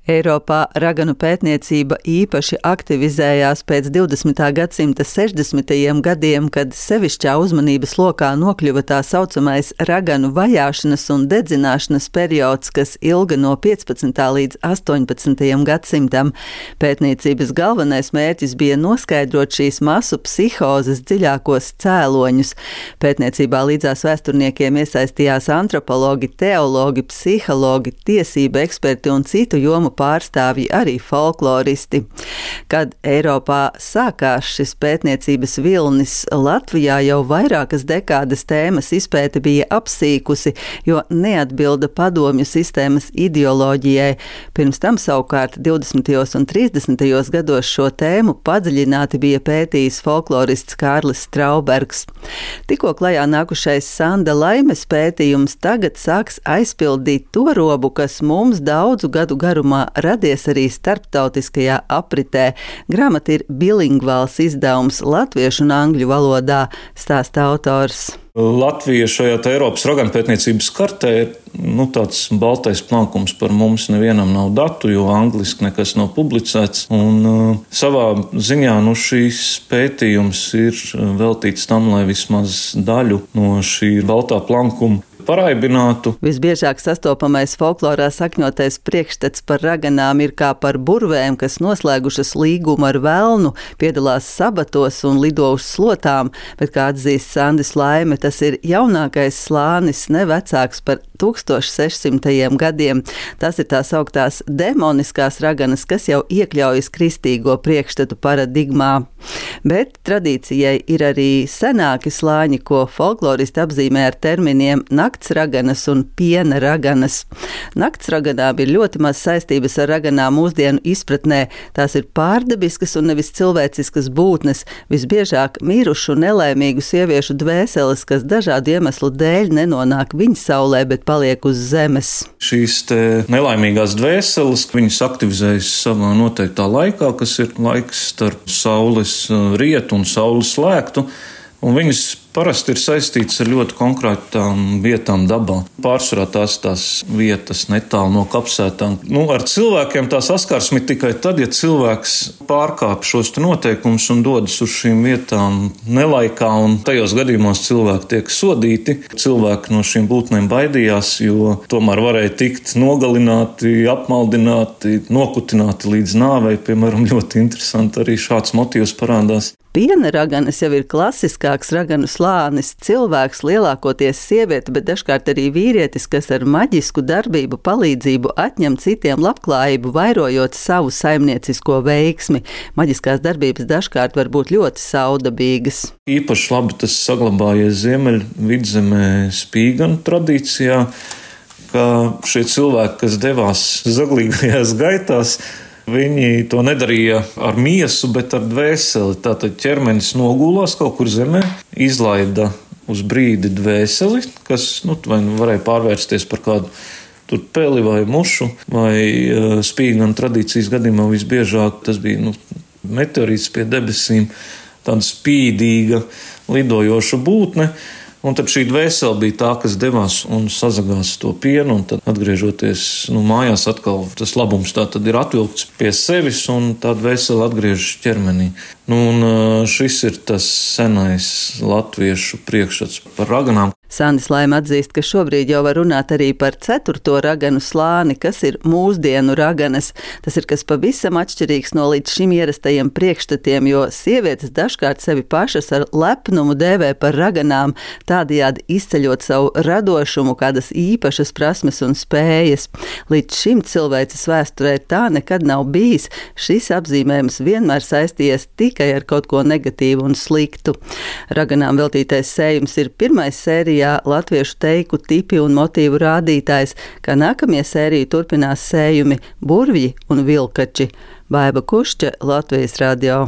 Eiropā raganu pētniecība īpaši aktivizējās pēc 20. gadsimta 60. gadiem, kad sevišķā uzmanības lokā nokļuva tā saucamais raganu vajāšanas un dedzināšanas periods, kas ilga no 15. līdz 18. gadsimtam. Pētniecības galvenais mērķis bija noskaidrot šīs masu psihozes dziļākos cēloņus. Pētniecībā līdzās vēsturniekiem iesaistījās antropologi, teologi, psihologi, tiesība eksperti un citu jomu pārstāvji, arī folkloristi. Kad Eiropā sākās šis pētniecības vilnis, Latvijā jau vairākas dekādes tēmas izpēte bija apsīkusi, jo neatbilda padomju sistēmas ideoloģijai. Pirms tam savukārt 20. un 30. gados šo tēmu padziļināti bija pētījis folklorists Kārlis Straubergs. Tikko klajā nākušais Sanda Laimes pētījums tagad sāks aizpildīt to robu, kas mums daudzu gadu garumā radies arī starptautiskajā apritē. Grāmata ir bilingvāls izdevums latviešu un angļu valodā, stāsta autors. Latvija šajā Eiropas raganpētniecības kartē ir tāds baltais plankums par mums. Nevienam nav datu, jo angliski nekas nav publicēts. Un savā ziņā šīs pētījums ir veltīts tam, lai vismaz daļu no šī baltā plankuma paraibinātu. Visbiežāk sastopamais folklorā sakņotais priekšstats par raganām ir kā par burvēm, kas noslēgušas līgumu ar velnu, piedalās sabatos un lido uz slotām, bet, kā atzīst Sandis Laime, tas ir jaunākais slānis, ne vecāks par 1600. gadiem. Tas ir tās augtās demoniskās raganas, kas jau iekļaujas kristīgo priekšstatu paradigmā. Bet tradīcijai ir arī senāki slāņi, ko folkloristi apzīmē ar terminiem naktsraganas un piena raganas. Naktsraganām ir ļoti maz saistības ar raganām mūsdienu izpratnē. Tās ir pārdabiskas un nevis cilvēciskas būtnes, visbiežāk mirušu nelaimīgu sieviešu dvēseles, kas dažādu iemeslu dēļ nenonāk viņas saulē, bet paliek uz zemes. Šīs nelaimīgās dvēseles, viņas aktivizējas savā noteiktā laikā, kas ir laiks starp saules rietu un saules slēgtu, un viņas parasti ir saistītas ar ļoti konkrētām vietām dabā. Pārsvarā tās vietas netālu no kapsētām. Ar cilvēkiem tā saskarsme tikai tad, ja cilvēks pārkāp šos noteikumus un dodas uz šīm vietām nelaikā, un tajos gadījumos cilvēki tiek sodīti. Cilvēki no šīm būtnēm baidījās, jo tomēr varēja tikt nogalināti, apmaldināti, nokutināti līdz nāvei. Piemēram, ļoti interesanti arī šāds motīvs parādās. Piena raganas jau ir klasiskāks raganu slānis. Cilvēks, lielākoties sieviete, bet dažkārt arī vīrietis, kas ar maģisku darbību palīdzību atņem citiem labklājību, vairojot savu saimniecisko veiksmi. Maģiskās darbības dažkārt var būt ļoti saudabīgas. Īpaši labi tas saglabājies Ziemeļvidzemē spīganu tradīcijā, ka šie cilvēki, kas devās zaglīgajās gaitās, viņi to nedarīja ar miesu, bet ar dvēseli. Tātad ķermenis nogulās kaut kur zemē, izlaida uz brīdi dvēseli, kas varēja pārvērsties par kādu peli vai mušu, vai spīganu tradīcijas gadījumā visbiežāk tas bija meteorīts pie debesīm, tāda spīdīga lidojoša būtne. Un tad šī dvēsele bija tā, kas devās un sazagās to pienu, un tad atgriežoties mājās atkal tas labums tā tad ir atvilkts pie sevis, un tā dvēsele atgriežas ķermenī. Un šis ir tas senais latviešu priekšstats par raganām. Sandis Laime atzīst, ka šobrīd jau var runāt arī par 4. raganu slāni, kas ir mūsdienu raganas. Tas ir kas pavisam atšķirīgs no līdz šim ierastajiem priekšstatiem, jo sievietes dažkārt sevi pašas ar lepnumu dēvē par raganām, tādējādi izceļot savu radošumu, kādas īpašas prasmes un spējas. Līdz šim cilvēces vēsturē tā nekad nav bijis. Šis apzīmējums vienmēr saistījies tikai ar kaut ko negatīvu un sliktu. Raganām veltītais sējums ir pirmais sērijā latviešu teiku tipi un motīvu rādītājs, kā nākamie sēriju turpinās sējumi Burvji un Vilkači. Baiba Kušķa, Latvijas radio.